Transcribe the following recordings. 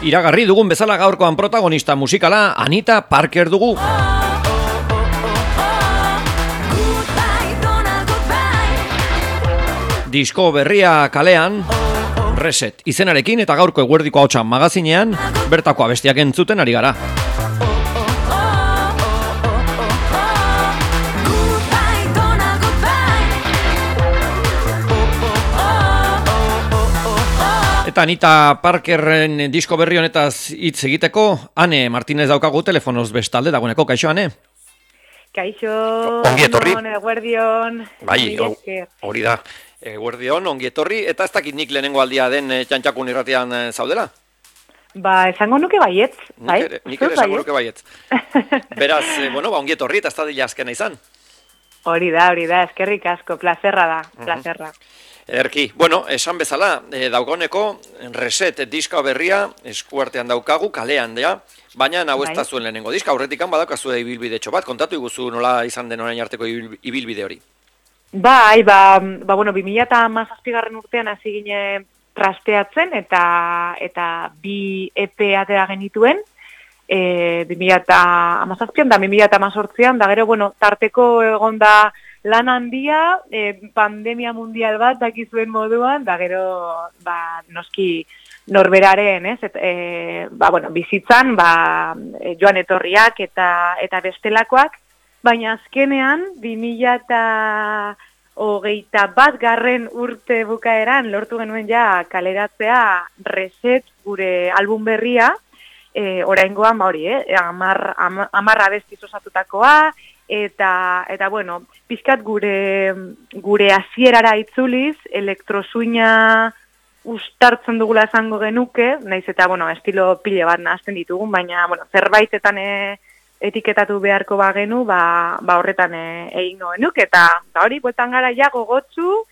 Iragarri dugun bezala gaurkoan protagonista musikala Anita Parker dugu. Disko berria kalean, Reset izenarekin eta gaurko eguerdiko ahotsa magazinean bertako abestiak entzuten ari gara. Eta Anita Parkerren disko berri honetaz hitz egiteko, Ane Martinez daukagu telefonoz bestalde dagoeneko, kaixo Ane? Kaixo, ongi etorri. Eguerdion. Bai, hori da, eguerdion, ongi etorri, eta ez dakit nik lehenengo aldia den txantxakun irratian zaudela? Ba, esango nuke baietz, bai? Nik ere esango nuke baietz. Beraz, ongi etorri eta ez da dila azkena izan. Hori da, eskerrik asko, plazerra da, plazerra. Ederki, esan bezala, daugoneko Reset diska berria eskuartean daukagu, kalean da, baina hau ez da zuen lehenengo diska, aurretikan badaukazu ibilbidetxo bat, kontatu iguzu nola izan den orain arteko ibilbide hori. Bai, 2017 urtean hasi gine trasteatzen eta bi EP atera genituen, 2017an da 2018an, da gero, tarteko egonda lan handia, pandemia mundial bat dakizuen moduan, da gero, noski norberaren, bizitzan, joan etorriak eta bestelakoak, baina azkenean, 2021 garren urte bukaeran, lortu genuen ja kaleratzea Reset gure album berria, oraingoan, 10 abestiz osatutakoa, eta pixkat gure hasierara itzuliz, elektrosuina ustartzen dugula esango genuke, naiz eta, estilo pile bat nahazten ditugun, baina, zerbaitetan etiketatu beharko bagenu, horretan egingo genuke, eta hori, bueltan gara ja gogotsu,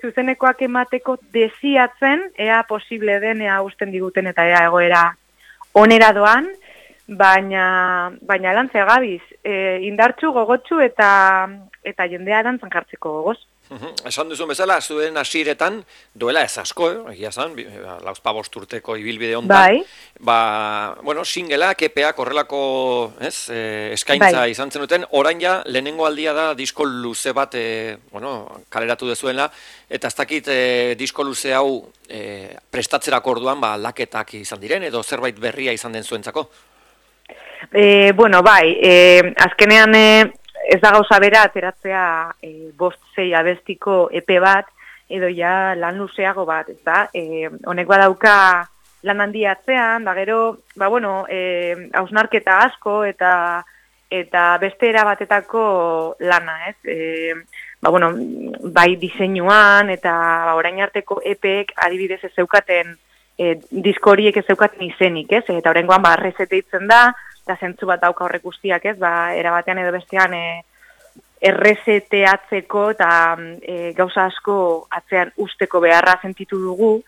zuzenekoak emateko desiatzen, ea posible den, ea usten diguten, eta ea egoera onera doan, baina lantzea gabiz, indartsu, gogotsu eta jendea dantzan jartzeko gogoz. Esan duzun bezala, zuen hasieretan duela ez asko, egia zan, 45 urteko ibilbide hontan. Bai. Singleak, EPEak horrelako eskaintza izan zenuten, orain ja lehenengo aldia da disko luze bat kaleratu dezuela, eta ez dakit disko luze hau prestatzerako orduan laketak izan diren, edo zerbait berria izan den zuentzako? Azkenean ez da gauza bera ateratzea 5-6 abestiko EP bat, edo ja lan luzeago bat, ez da? Honek badauka lan handia atzean, gero, hausnarketa asko eta beste erabatetako lana, ez? Bai diseinuan eta orain arteko EPek adibidez ez zeukaten disko horiek ez zeukaten izenik, ez? Eta oraingoan Reset deitzen da, eta zentzu bat dauka horrek guztiak, ez? Erabatean edo bestean erreseteatzeko eta gauza asko atzean usteko beharra sentitu dugu.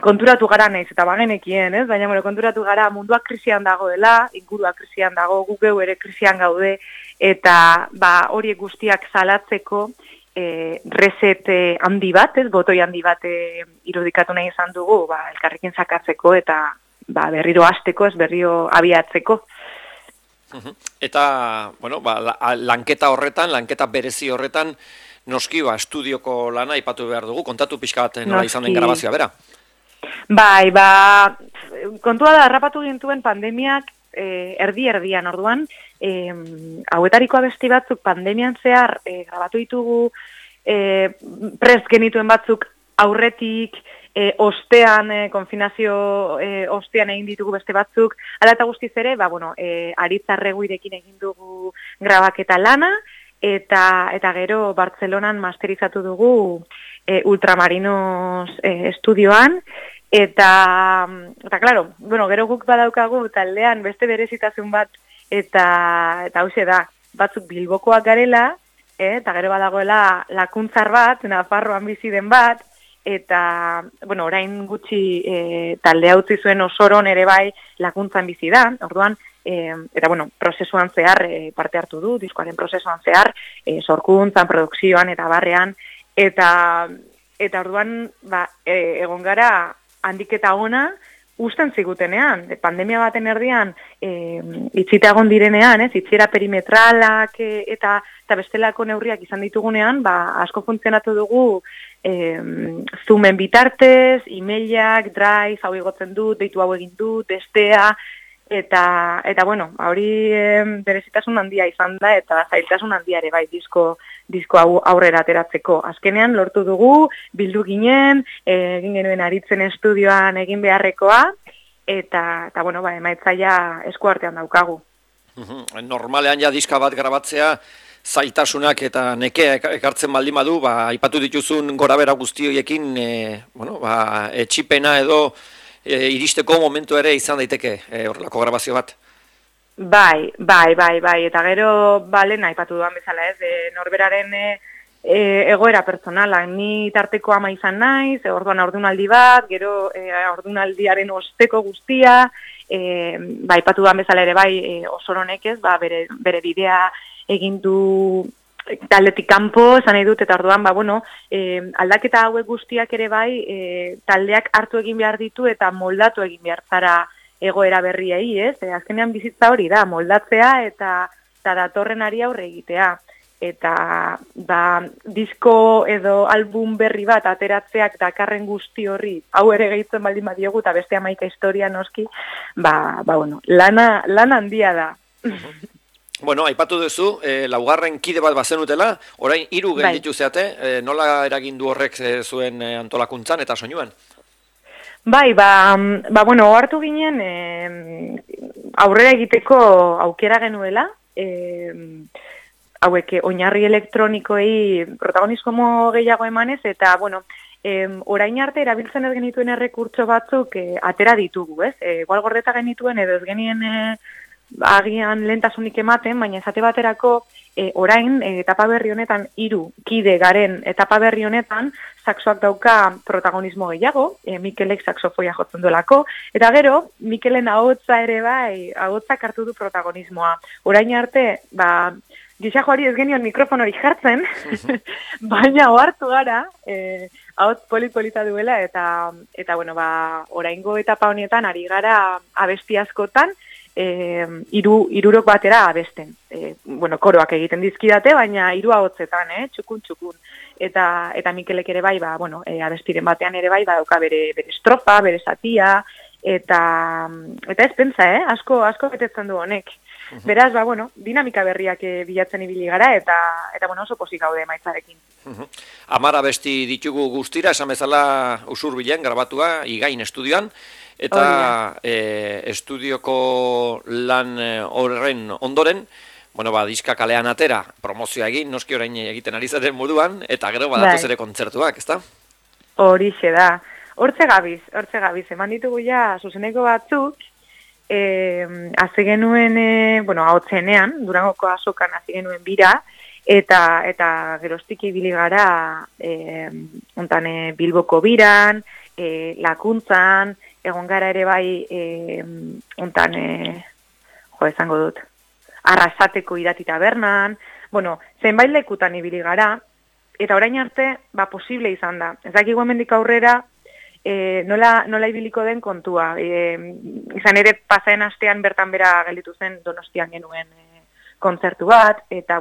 Konturatu gara naiz, eta bagenekien, ez? Baina, konturatu gara munduak krisian dagoela, inguruak krisian dago, gu geu ere krisian gaude, eta horiek guztiak salatzeko Reset handi bat, ez? Botoi handi bat irudikatu nahi izan dugu, elkarrekin sakatzeko eta berriro hasteko, ez berriro abiatzeko. Eta, lanketa horretan, lanketa berezi horretan, noski, estudioko lana aipatu behar dugu, kontatu pixka bat nola izan den grabazioa, bera? Bai, kontua da, harrapatu gintuen pandemiak erdi-erdian, orduan, hauetariko abesti batzuk pandemian zehar grabatu ditugu, prest genituen batzuk aurretik, ostean, konfinazio ostean egin ditugu beste batzuk, ala eta guztiz ere, Aritz Arreguirekin egin dugu grabaketa lana, eta gero Bartzelonan masterizatu dugu Ultramarinos estudioan, eta claro, gero guk badaukagu taldean beste berezitasun bat, eta hauxe da, batzuk Bilbokoak garela, eta gero badagoela lakuntzar bat, Nafarroan bizi den bat, eta, orain gutxi taldea utzi zuen Osoron ere bai lakuntzan bizi da, orduan, eta prozesuan zehar parte hartu du, diskoaren prozesuan zehar, sorkuntzan, produkzioan eta barrean, eta orduan, egon gara handiketa ona, usten zigutenean, pandemia baten erdian, itxita egon direnean, itxiera perimetralak eta bestelako neurriak izan ditugunean, asko funtzionatu dugu Zoomen bitartez, e-mailak, Drive, hau igotzen dut, deitu hau egin dut, bestea, eta bueno, hori berezitasun handia izan da, eta zailtasun handia ere bai, disko hau aurrera ateratzeko. Azkenean lortu dugu, bildu ginen, egin genuen aritzen estudioan egin beharrekoa, eta bueno, emaitzaia eskuartean daukagu. Normalean ja diska bat grabatzea, zailtasunak eta nekea ekartzen baldin badu, aipatu dituzun gorabera guzti horiekin, etxipena edo iristeko momentu ere izan daiteke horrelako grabazio bat. Bai, eta gero lehen aipatu duan bezala norberaren egoera personala, ni tarteko ama izan naiz, orduan haurdunaldi bat, gero haurdunaldiaren osteko guztia, aipatu duan bezala ere osoronek bere bidea egin du taldetik kanpo, esan nahi dut, eta orduan, aldaketa hauek guztiak ere taldeak hartu egin behar ditu eta moldatu egin behar zara egoera berriei, azkenean bizitza hori da, moldatzea eta datorrenari aurre egitea. Eta disko edo album berri bat ateratzeak dakarren guzti horri, hau ere gehitzen baldin badiogu, eta beste 11 historia noski, lana handia da. Bueno, aipatu duzu, laugarren kide bat bazenutela, orain 3 gelditu zeate, nola eragin du horrek zuen antolakuntzan eta soinuan? Hartu ginen aurrera egiteko aukera genuela, hauek oinarri elektronikoei protagonismo gehiago emanez, eta, orain arte erabiltzen ez genituen errekurtso batzuk atera ditugu, igual gordeta genituen edo ez genien agian lehentasunik ematen, baina esate baterako orain etapa berri honetan 3 kide garen etapa berri honetan saxoak dauka protagonismo gehiago, Mikelek saxofoia jotzen duelako, eta gero Mikelen ahotsa ere ahotsak hartu du protagonismoa. Orain arte, gisa joari ez genion mikrofonori jartzen, baina ohartu gara, ahots polita duela, eta oraingo etapa honetan ari gara abesti askotan, irurok batera abesten. Koroak egiten dizkidate, baina 3 ahotsetan, txukun. Eta Mikelek ere abestiren batean ere dauka bere estrofa, bere zatia, eta ez pentsa, asko betetzen du honek. Beraz, dinamika berriak bilatzen ibili gara, eta oso pozik gaude emaitzarekin. 10 abesti ditugu guztira, esan bezala Usurbilen grabatua, Igain estudioan, eta estudioko lan horren ondoren, diska kalean atera, promozioa egin, noski orain egiten ari zaren moduan, eta gero badatoz ere kontzertuak, ezta? Horixe da. Hortze gabiz, eman ditugu ja zuzeneko batzuk, haze genuen, ahotzenean, Durangoko azokan haze genuen bira, eta geroztik ibili gara Bilboko biran, Lakuntzan, egon gara ere esango dut, Arrasateko Irati tabernan, zenbait lekutan ibili gara, eta orain arte, posible izan da. Ez dakigu hemendik aurrera, nola ibiliko den kontua. Izan ere, pasaen astean bertan bera gelditu zen Donostian genuen kontzertu bat, eta,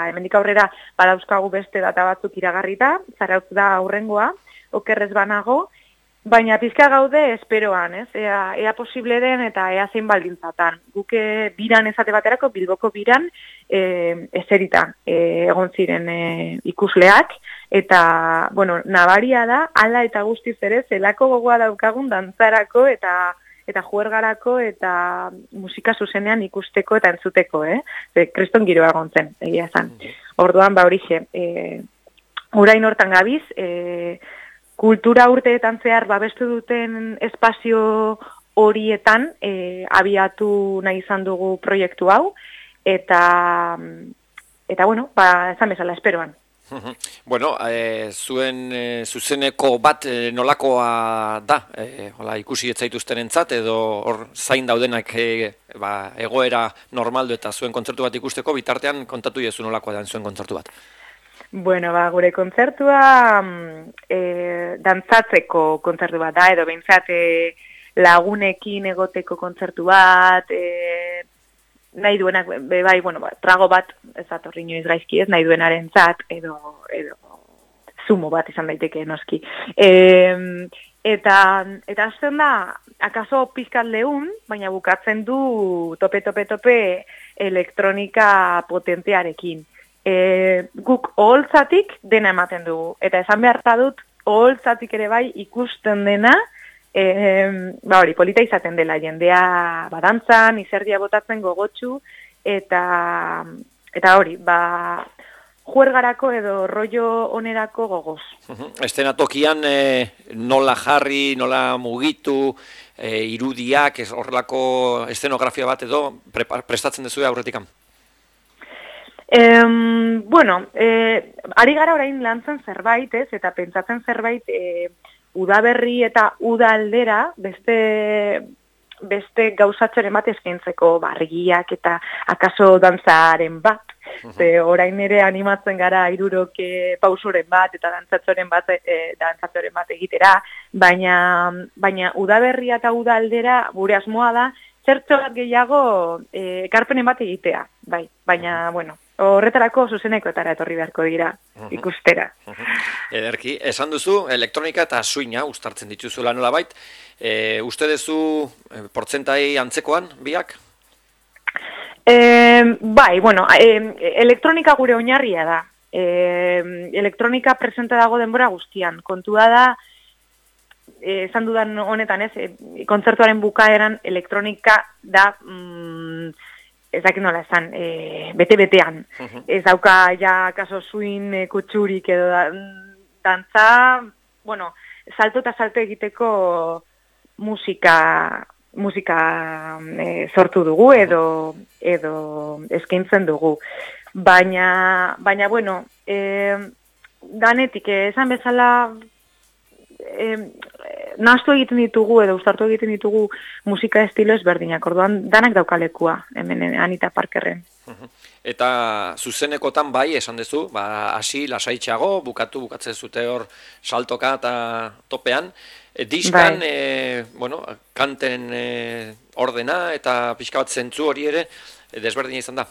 hemendik aurrera badauzkagu beste data batzuk iragarrita, Zarautz da aurrengoa, okerrez banago, baina pizka gaude esperoan, ea posible den eta ea zein baldintzatan. Guke biran esate baterako, Bilboko biran, eserita egon ziren ikusleak, eta, nabaria da, hala eta guztiz ere, zelako gogoa daukagun dantzarako eta juergarako eta musika zuzenean ikusteko eta entzuteko, kriston giroa egon zen, egia zan. Orduan, horixe, orain hortan gabiz, kultura urteetan zehar babestu duten espazio horietan abiatu nahi izan dugu proiektu hau, eta esan bezala, esperoan. Zuen zuzeneko bat nolakoa da, ikusi etzaituztenentzat, edo hor zain daudenak egoera normaldu eta zuen kontzertu bat ikusteko, bitartean kontatu jezu nolakoa da zuen kontzertu bat. Gure kontzertua dantzatzeko kontzertu bat da, edo behintzat lagunekin egoteko kontzertu bat, nahi duenak, bai, bueno, trago bat, ez atorri inoiz gaizki ez, nahi duenaren zat, edo zumo bat izan daiteke noski. Eta azten da, akaso pizkat lehun, baina bukatzen du tope elektronika potentearekin. Guk oholtzatik dena ematen dugu. Eta esan behar dut, oholtzatik ere bai ikusten dena, polita izaten dela jendea badantzan, izerdia botatzen gogotsu, eta hori, juergarako edo rollo onerako gogoz. Eszenatokian nola jarri, nola mugitu, irudiak, horrelako eszenografia bat edo prestatzen duzu aurretikan? Ari gara orain lantzen zerbait, eta pentsatzen zerbait udaberri eta uda aldera beste gauzatxoren bat eskaintzeko bargiak eta akaso dantzaren bat. Orain ere animatzen gara hiruroke pausoren bat eta dantzatxoren bat egitera, baina udaberria eta uda aldera gure asmoa da zertxo bat gehiago ekarpenen bat egitea, bai, baina, horretarako zuzenekoetara etorri beharko dira, ikustera. Ederki, esan duzu, elektronika eta swinga uztartzen dituzula nolabait. Uste duzu portzentai antzekoan, biak? Elektronika gure oinarria da. Elektronika presente dago denbora guztian. Kontua da, esan dudan honetan ez, kontzertuaren bukaeran elektronika da... ez dakit nola esan, bete-betean. Ez dauka ja kaso swing kutsurik edo dantza, salto eta salto egiteko musika sortu dugu edo eskaintzen dugu. Baina danetik, esan bezala, nahastu egiten ditugu edo uztartu egiten ditugu musika estilo ezberdinak, orduan danak daukalekua hemen Anita Parkerren. Eta zuzenekotan bai, esan duzu, hasi lasaitxago, bukatzen zute hor saltoka eta topean. Diskan, kanten ordena eta pixka bat zentzu hori ere desberdina izan da.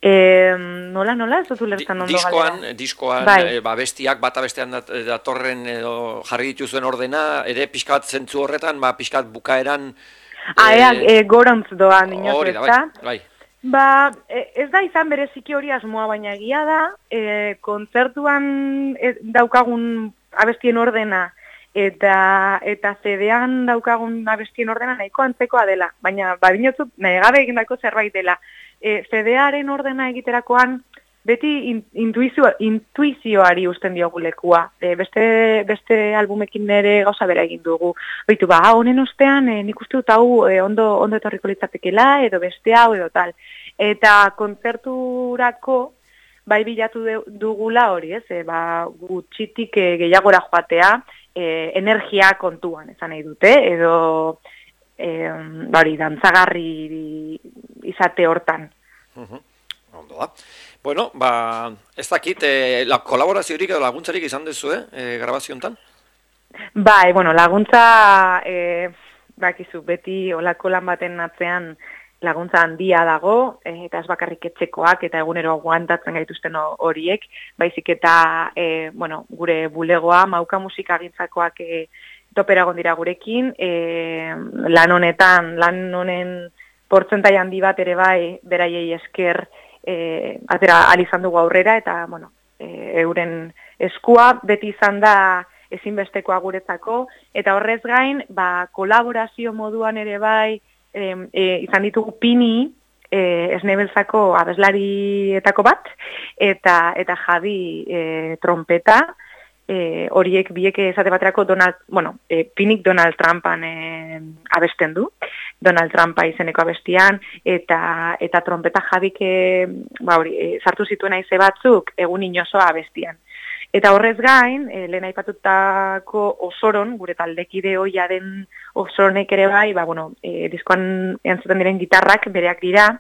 Nola, ez dut ulertzen ondo galera. Diskoan, bestiak bata bestean datorren edo jarri dituzuen ordena, ere pixkat zentzu horretan, pixkat bukaeran... Gorontz doan inoz ezta. Bai. Ez da izan bereziki hori asmoa, baina egia da, kontzertuan daukagun abestien ordena eta CD-an daukagun abestien ordena nahiko antzekoa dela, baina badinotzut nahi gabe egindako zerbait dela. CD-aren ordena egiterakoan beti intuizioari usten diogu lekua. Beste albumekin ere gauza bera egin dugu. Baitu, honen ostean nik uste dut hau ondo etorriko litzatekela edo beste hau edo tal. Eta kontzerturako bai bilatu dugula hori, ez? Gutxitik gehiagora joatea, energia kontuan, esan nahi dute, edo dantzagarri izate hortan. Ondo da. Bueno, ez dakit, kolaboraziorik edo laguntzarik izan duzu, grabazio honetan? Laguntza, bakizu, beti olako lan baten atzean laguntza handia dago, eta ez bakarrik etxekoak, eta egunero aguantatzen gaituzten horiek, baizik eta, gure bulegoa, Mauka musika gintzakoak topera gondira gurekin, lan honen portzentai handi bat ere bai, beraiei esker atera alizan dugu aurrera, eta, euren eskua beti izan da ezinbestekoa guretzako, eta horrez gain, kolaborazio moduan ere bai, izan ditugu Pini, Esnebeltzako abeslarietako bat, eta Javi trompeta, horiek biek esate baterako Pinik Donald Trumpan abesten du, Donald Trumpa izeneko abestian, eta trompeta Javik sartu zituen aize batzuk egun inozoa abestian. Eta horrez gain, lehen aipatutako Osoron, gure taldekide hoia den Osoronek ere bai, diskoan entzuten diren gitarrak bereak dira,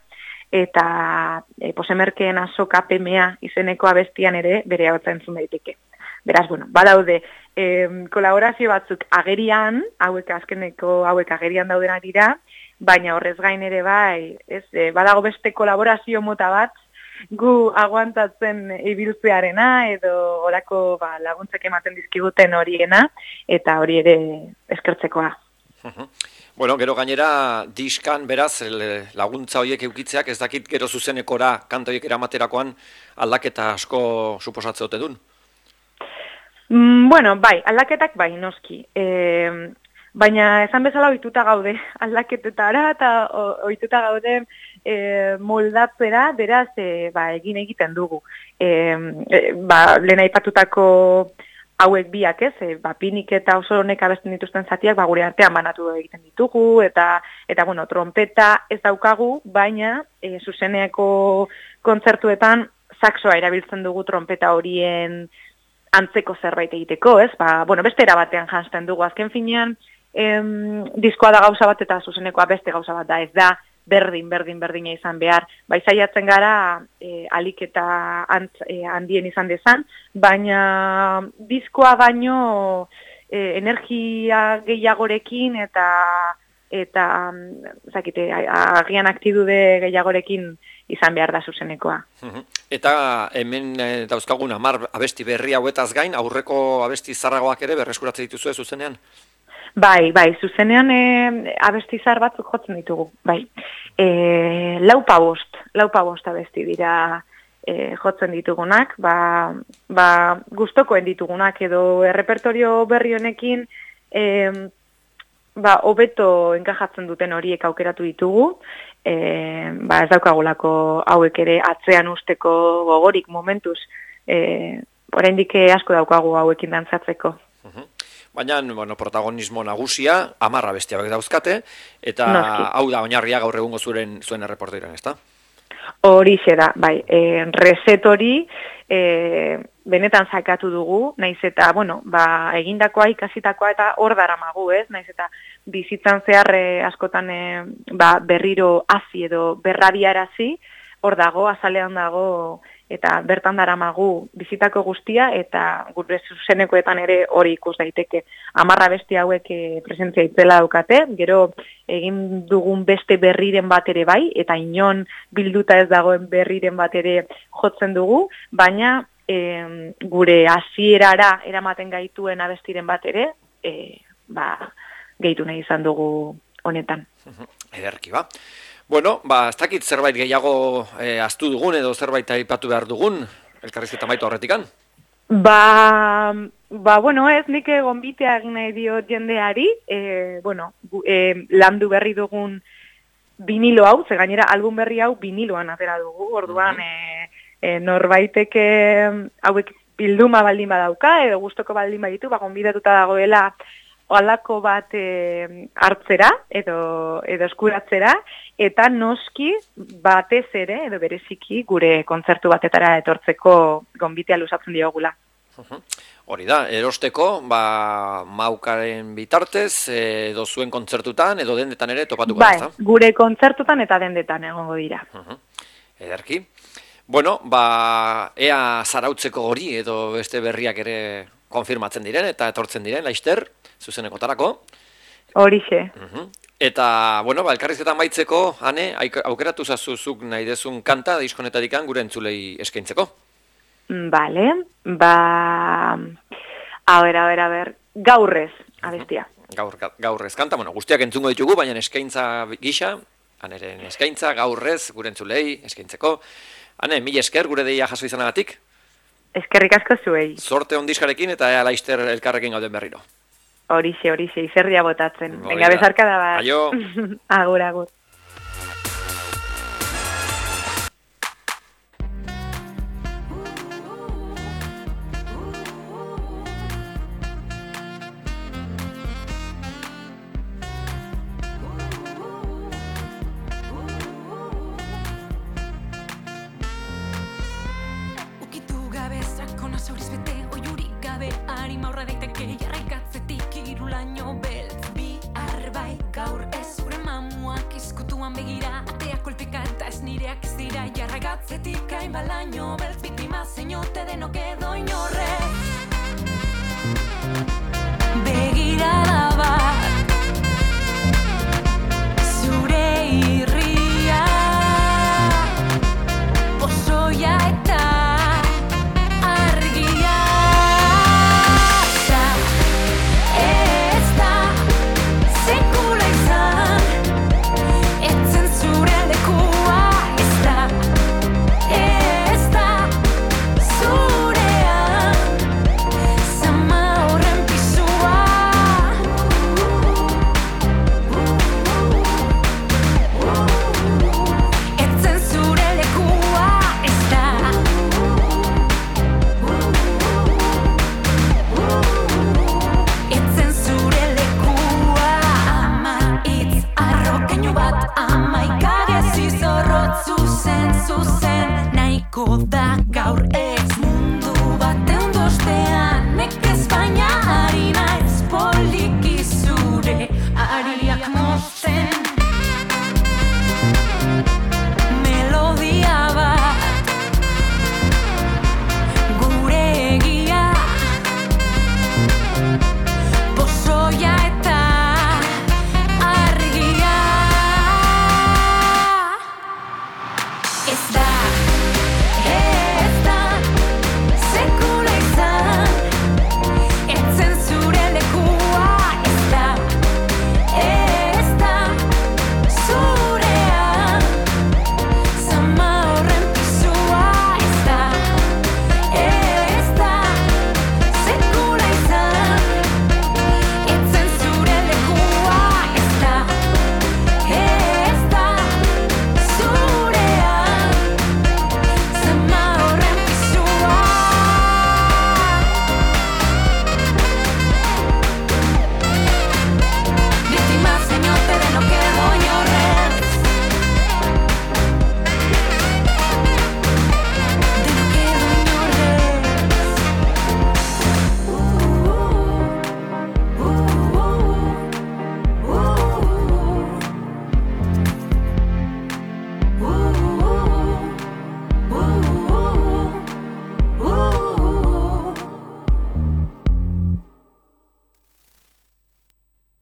eta Posemerkeen azoka PMA izeneko abestian ere berea hotza entzun daiteke. Beraz, bueno, badaude, kolaborazio batzuk agerian, azkeneko hauek agerian daudenak dira, baina horrez gain ere bai, badago beste kolaborazio mota bat, gu aguantatzen ibiltzearena edo orako laguntzak ematen dizkiguten horiena, eta hori ere eskertzekoa. Bueno, gero gainera diskan beraz laguntza horiek eukitzeak ez dakit gero zuzenekora kanta horiek eramaterakoan aldaketa asko suposatze ote dun? Bueno, bai, aldaketak bai, noski. Baina esan bezala ohituta gaude aldaketetara eta ohituta gaude moldatzera, beraz egin egiten dugu. Lehen aipatutako hauek biak Pinik eta Oso honek abesten dituzten zatiak gure artean banatu egiten ditugu, eta bueno, trompeta ez daukagu, baina zuzeneko kontzertuetan saxoa erabiltzen dugu trompeta horien antzeko zerbait egiteko, beste era batean janzten dugu. Azken finean, diskoa da gauza bat eta zuzenekoa beste gauza bat da, ez da berdina izan behar. Saiatzen gara alik eta handien izan dezan, baina diskoa baino energia gehiagorekin eta agian aktidude gehiagorekin izan behar da zuzenekoa. Eta hemen dauzkagun 10 abesti berri hauetaz gain, aurreko abesti zarragoak ere berreskuratzen dituzue zuzenean? Bai, zuzenean abesti zahar batzuk jotzen ditugu, bai. 4 abesti dira jotzen ditugunak, gustokoen ditugunak edo errepertorio berri honekin hobeto enkajatzen duten horiek aukeratu ditugu, ez daukagulako hauek ere atzean usteko gogorik momentuz, oraindik asko daukagu hauekin dantzatzeko. Baina, protagonismo nagusia, 10 abesti hauek dauzkate, eta hau da oinarria gaur egungo zuen erreporteran, ezta? Horixe da, bai, reset hori benetan sakatu dugu, naiz eta, egindakoa, ikasitakoa eta hor daramagu, naiz eta bizitzan zehar askotan berriro hazi edo berrabiarazi, hor dago, azalean dago, eta bertan daramagu bizitako guztia, eta gure zuzenekoetan ere hori ikus daiteke. 10 abesti hauek presentzia itzela daukate, gero egin dugun beste berriren bat ere bai, eta inon bilduta ez dagoen berriren bat ere jotzen dugu, baina gure hasierara eramaten gaituen abestiren bat ere, gehitu nahi izan dugu honetan. Ederki ba. Bueno, ez dakit zerbait gehiago ahaztu dugun edo zerbait aipatu behar dugun, elkarrizketa amaitu horretikan? Ez, nik gonbitea egin nahi diot jendeari, landu berri dugun vinilo hau, ze gainera album berri hau viniloan atera dugu, orduan norbaitek hauek bilduma baldin badauka, edo gustoko baldin baditu, gonbidatuta dagoela halako bat hartzera edo eskuratzera, eta noski batez ere, edo bereziki gure kontzertu batetara etortzeko gonbitea luzatzen diogula. Hori da, erosteko, maukaren bitartez, edo zuen kontzertutan, edo dendetan ere topatuko da, ezta? Gure kontzertutan eta dendetan egongo dira. Ederki. Bueno, ea zarautzeko hori edo beste berriak ere konfirmatzen diren eta etortzen diren, laister, zuzenekotarako. Horixe. Eta, elkarrizketan amaitzeko, Ane, aukeratu zazuzuk nahi dezun kanta diskonetatik gure entzulei eskaintzeko. Bale, a ber, gaurrez, abestia. Gaurrez kanta, guztiak entzungo ditugu, baina eskaintza gisa, Aneren eskaintza, gaurrez, gure entzulei eskaintzeko. Ane, mila esker gure deia jaso izanagatik. Eskerrik asko zuei. Sorte ondiskarekin eta ea laister elkarrekin gauden berriro. Horixe, izerdia botatzen. Venga, bezarka da bat. Aio. Agur. Jarragatzetik hain balaino beltz biktima zeinote denok edo inorre. Begirada